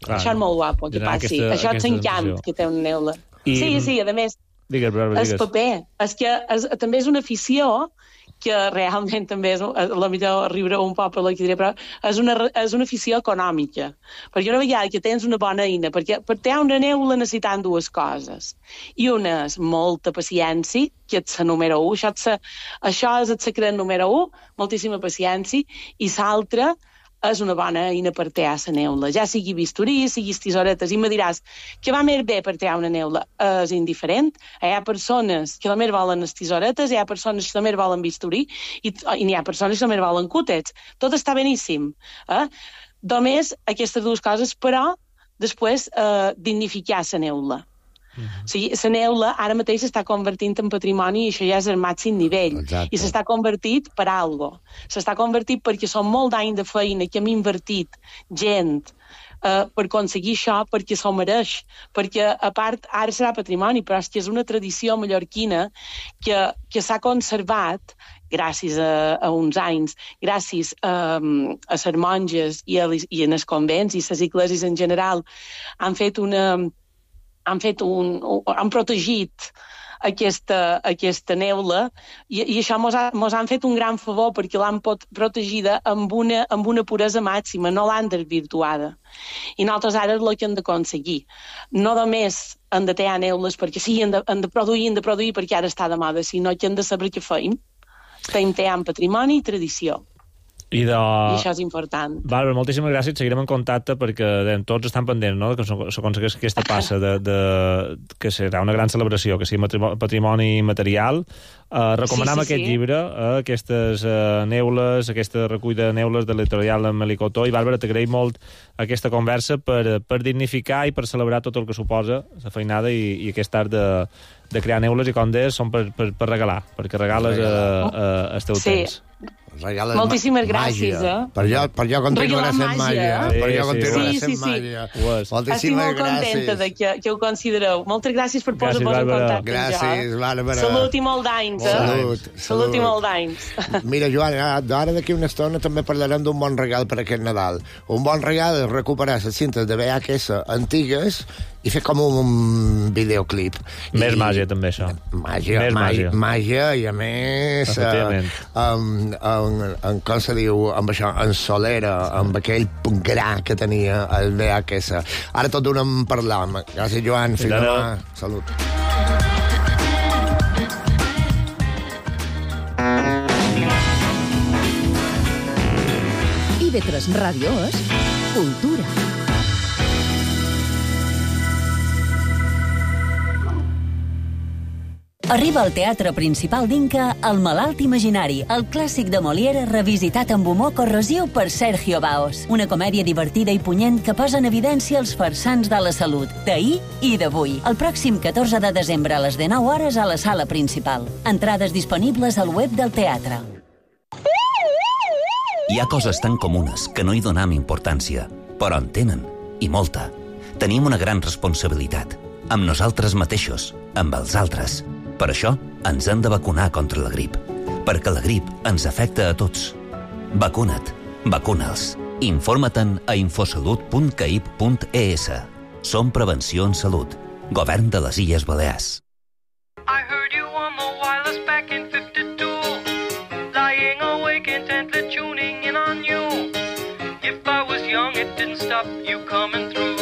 S10: Deixar molt guapo, que passi. Això és l'encant que té una neula. Sí, a més, el paper. És que també és una afició que realment també és, la millor riure un poc per la que diré, però és una afició econòmica. Perquè una vegada que tens una bona eina, perquè per tenir una neula necessitant dues coses. I una és molta paciència, que és la número 1, això és el secret número 1, moltíssima paciència, i l'altra és una bona eina per tallar la neula. Ja sigui bisturí, sigui tisoretes, i me diràs que va més bé per tallar una neula. És indiferent. Hi ha persones que només volen les tisoretes, hi ha persones que només volen bisturí, i n'hi ha persones que només volen cútets. Tot està beníssim. Només aquestes dues coses, però després dignificar la neula. O sigui, la neula ara mateix s'està convertint en patrimoni i això ja és el màxim nivell. I s'està convertit per alguna cosa. S'està convertit perquè són molt d'anys de feina que hem invertit gent per aconseguir això, perquè s'ho mereix. Perquè, a part, ara serà patrimoni, però és que és una tradició mallorquina que s'ha conservat gràcies a uns anys, gràcies a les monges i en els convents i les iglesis en general, han protegit aquesta neula i això mos han fet un gran favor perquè l'han protegida amb una puresa màxima, no l'han desvirtuada. I nosaltres ara és el que hem d'aconseguir. No només hem de tallar neules perquè sí, hem de produir perquè ara està de moda, sinó que hem de saber què fem. Estem tallant patrimoni i tradició. I això és important.
S9: Bàrbara, moltíssimes gràcies. Seguirem en contacte perquè tots estan pendents, no?, que s'aconsegueix aquesta passa que serà una gran celebració, que sigui patrimoni material. Recomanem aquest llibre, aquestes neules, aquesta recull de neules de l'editorial Melicotó. I, Bàrbara, t'agraïm molt aquesta conversa per dignificar i per celebrar tot el que suposa la feinada i aquest art de crear neules, i com deies, són per regalar, perquè regales el teu temps.
S10: Moltíssimes gràcies,
S4: Per jo continuarà sent màgia. Per jo continuarà sent màgia.
S10: Estic molt contenta que ho considereu. Moltes gràcies per posar-vos en contacte.
S4: Gràcies, Bàrbara.
S10: Salut i molt d'anys, Salut i molt d'anys.
S4: Mira, Joan, ara d'aquí una estona també parlarem d'un bon regal per aquest Nadal. Un bon regal és recuperar les cintes de VHS antigues i fer com un videoclip.
S9: Més màgia, també, això.
S4: Màgia, i a més com se diu, amb això, en solera, amb aquell gra que tenia el VHS. Ara tot d'una en parlam. Gràcies, Joan. Fins demà. Salut.
S11: IB3 Ràdio és Cultura.
S3: Arriba al Teatre Principal d'Inca El malalt imaginari, el clàssic de Molière revisitat amb humor corrosiu per Sergio Baos. Una comèdia divertida i punyent que posa en evidència els farsants de la salut, d'ahir i d'avui. El pròxim 14 de desembre a les 19 hores a la sala principal. Entrades disponibles al web del teatre.
S12: Hi ha coses tan comunes que no hi donam importància, però en tenen, i molta. Tenim una gran responsabilitat, amb nosaltres mateixos, amb els altres. Per això ens hem de vacunar contra la grip, perquè la grip ens afecta a tots. Vacuna't, vacuna'ls. Informa-te'n a infosalut.caip.es. Som Prevenció en Salut. Govern de les Illes Balears.
S7: I heard you on the wireless back in 52, lying awake intently tuning in on you. If I was young, it didn't stop you coming through.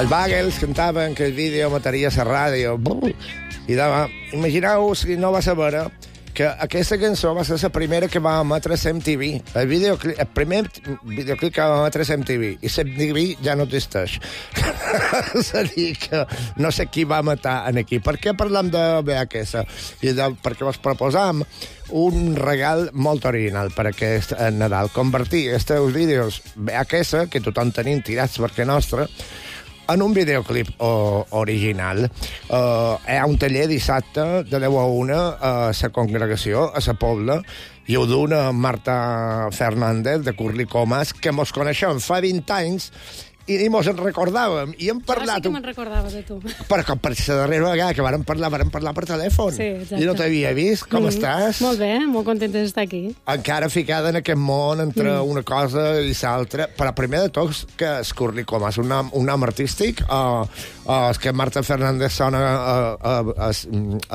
S4: Els Bagels cantaven que el vídeo mataria la ràdio. I imagineu si no va saber que aquesta cançó va ser la primera que va emetre a MTV. El primer videoclip que va emetre a MTV. I MTV ja no existeix. És a dir, que no sé qui va matar en aquí. Per què parlem de VHS? Perquè vos proposam un regal molt original per aquest Nadal. Convertir aquests vídeos VHS, que tothom tenim tirats perquè nostre, en un videoclip original. Hi ha un taller dissabte de 10 a 1 a la congregació, a la Pobla, i ho d'una Marta Fernández de Curly Comas, que mos coneixem fa 20 anys i mos en recordàvem, i hem parlat...
S13: Ara sí que me'n recordava de tu.
S4: Perquè per la darrera vegada que vàrem parlar per telèfon.
S13: Sí, exacte.
S4: I no t'havia vist. Com estàs?
S13: Molt bé, molt contenta d'estar aquí.
S4: Encara ficada en aquest món entre una cosa i l'altra. Però primer de tot, que és Curly Comas, un nom artístic, és que Marta Fernández sona a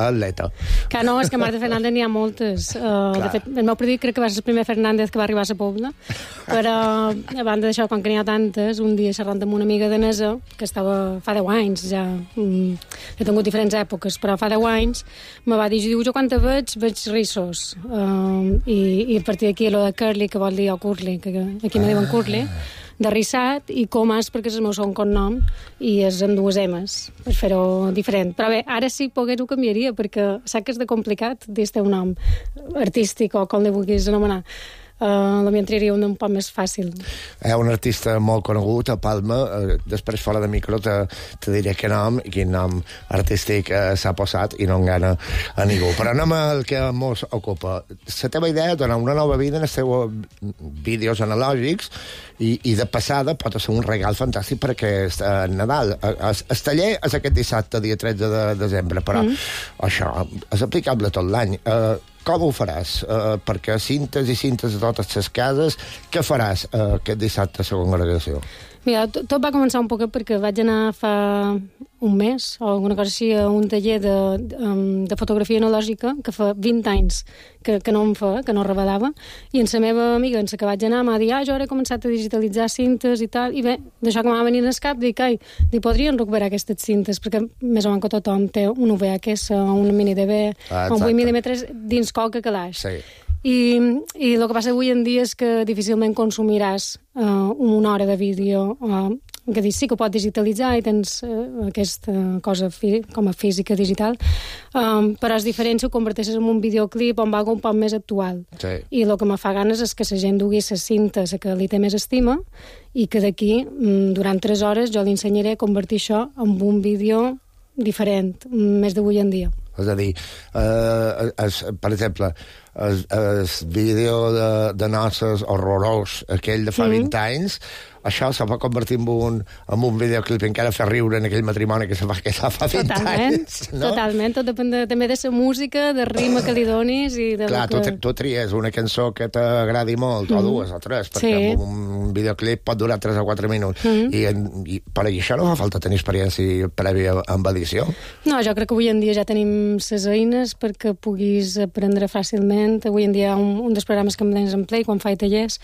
S4: atleta.
S13: Que no, és que Marta Fernández n'hi ha moltes. De fet, el meu predit crec que va ser el primer Fernández que va arribar a la Pobla, però a banda d'això, com que n'hi ha tantes, un dia xerrant amb una amiga danesa, que estava fa 10 anys ja, he tingut diferents èpoques, però fa 10 anys, me va dir, jo quan te veig rissos. I a partir d'aquí, lo de Curly, que vol dir o Curly, que aquí me diuen Curly, de rissat, i Comas, perquè és el meu segon cognom, i és amb 2 M's, per fer-ho diferent. Però bé, ara sí pogués ho canviaria, perquè sap que és de complicat dir-te un nom artístic o com li vulguis anomenar. Potser entraria un poc més fàcil.
S4: Un artista molt conegut a Palma, després fora de micro te diré quin nom i quin nom artístic s'ha posat i no engana a ningú. Però anem al que mos ocupa. La teva idea és donar una nova vida en els teus vídeos analògics i de passada pot ser un regal fantàstic per aquest Nadal. El taller és aquest dissabte, dia 13 de desembre, però això és aplicable tot l'any. Com ho faràs? Perquè cintes a totes les cases, què faràs aquest dissabte a la congregació?
S13: Mira, tot va començar un poc perquè vaig anar fa un mes o alguna cosa així a un taller de fotografia analògica que fa 20 anys que no em fa, que no revelava, i en la meva amiga, en la que vaig anar, m'ha dit, jo ara he començat a digitalitzar cintes i tal, i bé, d'això que m'ha venit al cap, dic, podrien recuperar aquestes cintes, perquè més o menys que tothom té un VHS o un mini DV o un 8 mm dins qualque calaix. Sí. I el que passa avui en dia és que difícilment consumiràs una hora de vídeo, que dius, sí que ho pots digitalitzar i tens aquesta cosa com a física digital, però és diferent si ho converteixes en un videoclip on va un poc més actual. Sí. I el que me fa ganes és que la gent dugui la cinta a la que li té més estima i que d'aquí, durant 3 hores, jo li ensenyaré a convertir això en un vídeo diferent, més d'avui en dia.
S4: És a dir, per exemple, el vídeo de noces horrorós, aquell de fa 20 anys, això se va convertir en un videoclip i encara fer riure en aquell matrimoni que se va quedar fa 20 anys. No?
S13: Totalment, tot depèn també de la música, del ritme que li donis i de
S4: clar, tu tries una cançó que t'agradi molt, o 2 o 3, perquè un videoclip pot durar 3 o 4 minuts. I per això no fa falta tenir experiència prèvia amb edició?
S13: No, jo crec que avui en dia ja tenim les eines perquè puguis aprendre fàcilment. Avui en dia hi ha un dels programes que em tens en Play quan faig tallers,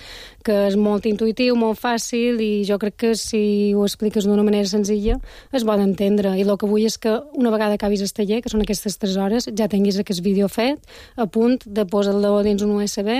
S13: que és molt intuïtiu, molt fàcil, i jo crec que si ho expliques d'una manera senzilla es pot entendre, i el que vull és que una vegada acabis el taller, que són aquestes 3 hores, ja tinguis aquest vídeo fet a punt de posar-lo dins un USB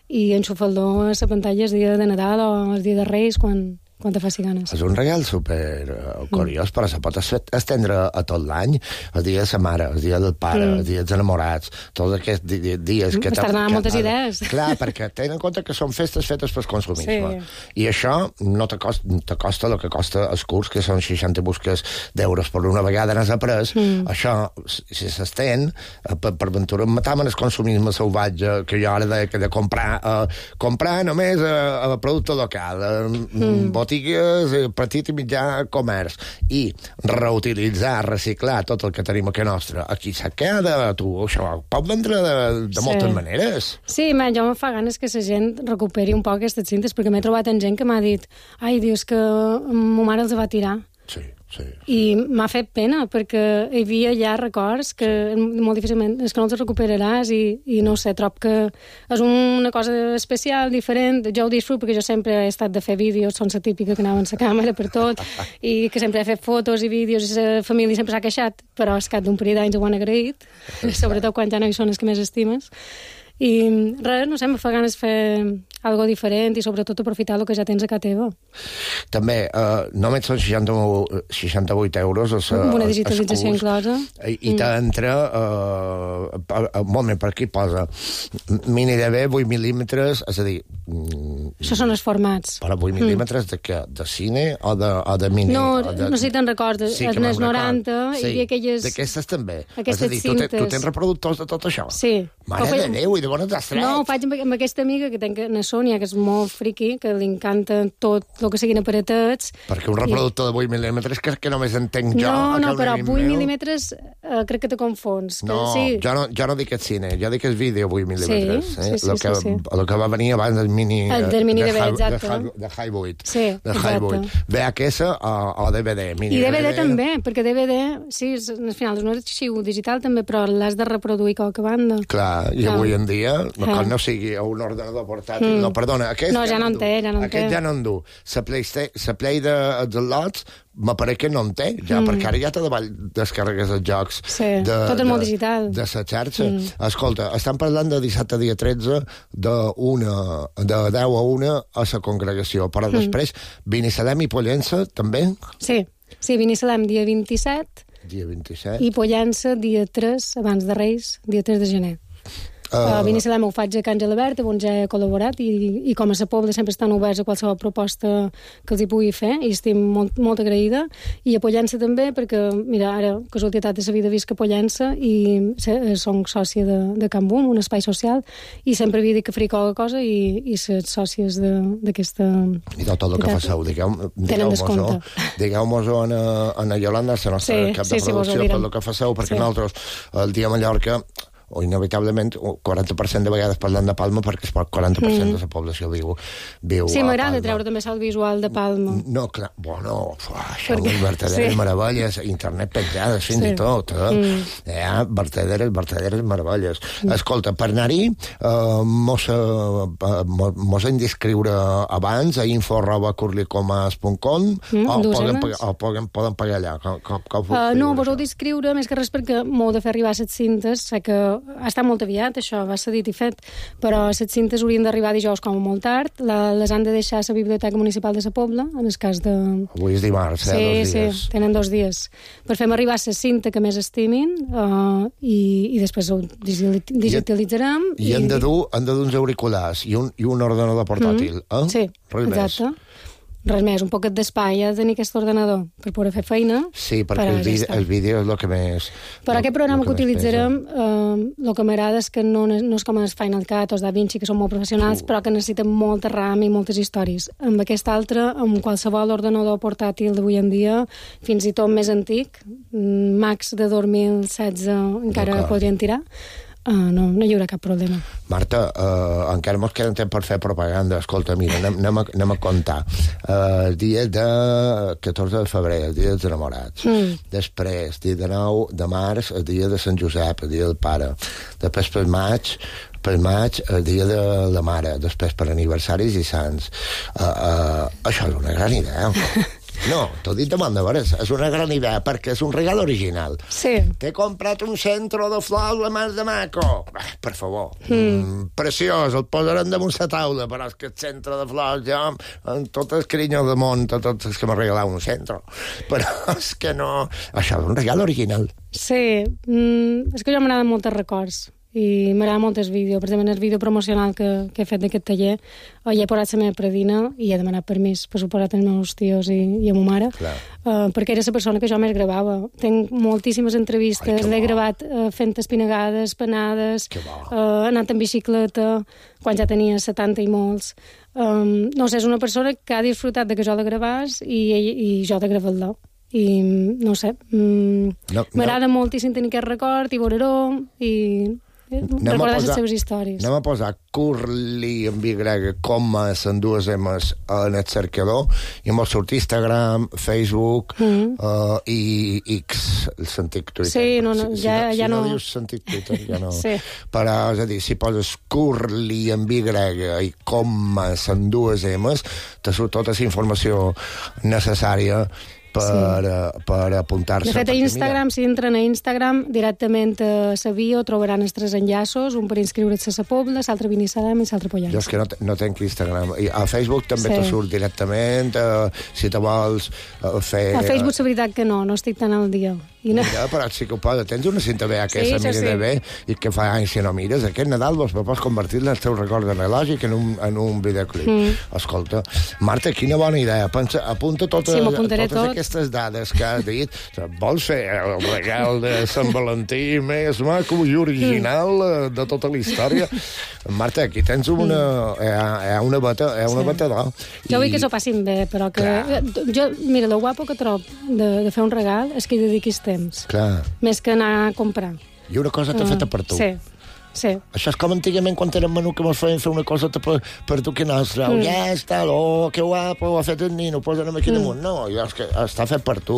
S13: i enxufar-lo a la pantalla el dia de Nadal o el dia de Reis quan te faci ganes.
S4: És un regal super curiós, però se pot estendre a tot l'any, el dia de la mare, el dia del pare, el dia dels enamorats, tots aquests dies que...
S13: M'estàs donant moltes idees.
S4: Clar, perquè tenen en compte que són festes fetes pel consumisme. I això no te costa el que costa el curs, que són 60 busques d'euros, per una vegada n'has après. Això, si s'estén, per ventura matam en el consumisme salvatge, que jo ara de comprar només a producte local, botigues, petit i mitjà comerç, i reutilitzar, reciclar tot el que tenim aquí nostre. Aquí s'ha quedat, tu això pot vendre de moltes maneres.
S13: Sí, jo me fa ganes que la gent recuperi un poc aquestes cintes, perquè m'he trobat en gent que m'ha dit dius que ma mare els va tirar.
S4: Sí.
S13: I m'ha fet pena, perquè hi havia ja records que molt difícilment és que no els recuperaràs i no sé, trob que és una cosa especial, diferent. Jo ho disfruto perquè jo sempre he estat de fer vídeos, són la típica que anava amb la càmera per tot i que sempre he fet fotos i vídeos i la família sempre s'ha queixat, però al cap d'un període d'anys ho han agraït, sobretot quan ja no hi són els que més estimes. I res, no sé, em fa ganes fer algo diferent i sobretot aprofitar el que ja tens a casa teva.
S4: També, només són 68 euros
S13: amb una digitalització inclosa.
S4: I t'entra molt més per aquí posa mini DV 8 mil·límetres, és a dir...
S13: Això són els formats.
S4: Però 8 mil·límetres de què? De cine o de mini?
S13: No sé si te'n recordes.
S4: Sí,
S13: en els 90 hi havia aquelles...
S4: D'aquestes també.
S13: Aquestes cintes.
S4: Tu tens reproductors de tot això?
S13: Sí.
S4: Mare de Déu, i de bones has tret.
S13: No, ho faig amb aquesta amiga que tenc, na Sònia, que és molt friqui, que li encanta tot el que siguin aparatets.
S4: Perquè un reproductor de 8 mil·límetres que només entenc jo.
S13: No, però 8 mil·límetres crec que te confons.
S4: No,
S13: sí.
S4: jo no dic el cine, jo dic el vídeo 8 mil·límetres.
S13: Sí.
S4: El que va venir abans del mini...
S13: Del mini DV, exacte.
S4: De High 8.
S13: Sí, exacte.
S4: VHS o DVD.
S13: I DVD també, perquè DVD, sí, al final és un arxiu digital també, però l'has de reproduir qualque banda.
S4: Clar, i avui en dia, quan no sigui un ordenador portàtil... No, perdona, aquest
S13: ja no en té.
S4: Aquest ja no en du. La Play dels lots m'apareix que no en té, ja, perquè ara ja te davall descarregues els jocs.
S13: Sí, tot és molt digital.
S4: De la xarxa. Escolta, estan parlant de dissabte dia 13 de 10 a 1 a la congregació, però després Binissalem i Pollença també?
S13: Sí, Binissalem dia 27 i Pollença dia 3, abans de Reis, dia 3 de gener. A Binissalem ho faig a Can Gelabert, on ja he col·laborat, i com a la Pobla sempre estan oberts a qualsevol proposta que els hi pugui fer, i estic molt agraïda. I a Pollença també, perquè, mira, ara, casualitat de la vida, visc a Pollença i som sòcia de Can Bum, un espai social, i sempre havia dit que faria qualque cosa, i les sòcies d'aquesta...
S4: I tot el que faceu, digueu-mos-ho a Yolanda, la nostra cap de producció, tot el que faceu, perquè nosaltres, el dia a Mallorca, o inevitablement 40% de vegades parlant de Palma perquè el 40% de la població viu
S13: sí, m'agrada treure també el visual de Palma.
S4: No, clar, bueno, això és verdaderes meravelles, internet penjades fins i tot, verdaderes meravelles. Escolta, per anar-hi mos hem d'inscriure abans a info@curlicomas.com o poden pagar allà?
S13: No, vos heu d'inscriure més que res perquè m'heu de fer arribar 7 cintes, sé que ha estat molt aviat, això, va ser dit i fet, però les cintes haurien d'arribar dijous com a molt tard, les han de deixar a la Biblioteca Municipal de la Pobla, en el cas de...
S4: Avui és dimarts, 2 dies.
S13: Sí, tenen 2 dies. Per fer-me arribar la cinta que més estimin i després ho digitalitzarem.
S4: I han de dur uns auriculars i un ordenador portàtil, eh?
S13: Sí, exacte. Res més, un poquet d'espai ha de tenir aquest ordenador per poder fer feina.
S4: Sí, perquè el vídeo és el que més...
S13: Però aquest programa que utilitzarem, el que m'agrada és que no és com el Final Cut o el DaVinci, que són molt professionals, però que necessiten molta RAM i moltes històries. Amb aquest altre, amb qualsevol ordenador portàtil d'avui en dia, fins i tot més antic, Max de 2016 encara podrien tirar, no hi haurà cap problema.
S4: Marta, encara mos queda temps per fer propaganda. Escolta, mira, anem a comptar. El dia de 14 de febrer, el dia dels enamorats. Després, dia de 9 de març, el dia de Sant Josep, el dia del pare. Després, pel maig, el dia de la mare. Després, per aniversaris i sants. Això és una gran idea. No, t'ho dit de bon de veres, és una gran idea, perquè és un regal original.
S13: Sí.
S4: T'he comprat un centre de flors la més de maco. Per favor. Preciós, el posarem damunt la taula, però és que el centre de flors, jo, amb tot el carinyo del món, tots els que m'ha regalat un centre. Però és que no... Això és un regal original.
S13: Sí, és que jo m'agraden molts records. I m'agrada molt el vídeo. Per exemple, el vídeo promocional que he fet d'aquest taller, hi he posat la meva predina i he demanat permís, per suposat, als meus tios i a ma mare, perquè era la persona que jo més gravava. Tenc moltíssimes entrevistes, l'he gravat fent espinagades, panades, anant en bicicleta, quan ja tenia 70 i molts. No sé, és una persona que ha disfrutat de que jo la gravàs i jo de gravar-la. I no sé, m'agrada moltíssim tenir aquest record i veure-ho i recordar les seves històries.
S4: Anem a posar Curly amb Y, comes en dues M's en el cercador i em va sortir Instagram, Facebook i X, el sentit Twitter.
S13: Sí, no,
S4: ja
S13: no...
S4: Si no dius sentit Twitter, ja no...
S13: Sí.
S4: Però, és a dir, si poses Curly amb Y i comes en dues M's, te surt tota la informació necessària per apuntar-se.
S13: De fet, a Instagram, si entren a Instagram, directament a la bio trobaran els 3 enllaços, un per inscriure's a la Pobla, l'altre a Binissalem i l'altre a Pollença.
S4: Jo és que no tenc Instagram. I a Facebook també te surt directament, si te vols fer...
S13: A Facebook, la veritat que no estic tan al dia.
S4: Mira, però sí que ho posa. Tens una cinta VHS mira bé i que fa anys que no mires. Aquest Nadal vos pots convertir-la en el teu record analògic en un videoclip. Escolta, Marta, quina bona idea. Pensa, apunta totes aquestes dades que has dit. Vols fer el regal de Sant Valentí més maco i original de tota la història? Marta, aquí tens una bata d'or.
S13: Jo vull que s'ho passin bé, però que... Mira, el guapo que trobo de fer un regal és que hi dediquis temps.
S4: Clar.
S13: Més que anar a comprar.
S4: I una cosa t'ha feta per tu.
S13: Sí.
S4: Això és com antigament quan érem menú que mos feien fer una cosa per tu que nostra. Ja està, que guapo, ho ha fet el nino, posa'm aquí damunt. No, és que està fet per tu.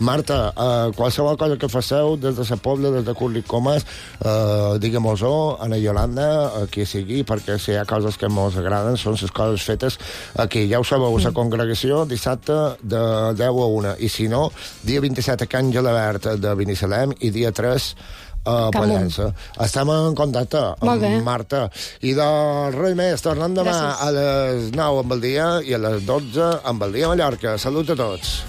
S4: Marta, qualsevol cosa que faceu des de la Pobla, des de Curly Comas, digue-mos-ho a la Iolanda, a qui sigui, perquè si hi ha coses que mos agraden són les coses fetes aquí. Ja ho sabeu, la congregació dissabte de 10 a 1. I si no, dia 27 a Can Gelabert de Binissalem i dia 3 a Pollença. Estem en contacte amb Marta. I de res més, tornem demà a les 9 amb el dia i a les 12 amb el dia Mallorca. Salut a tots.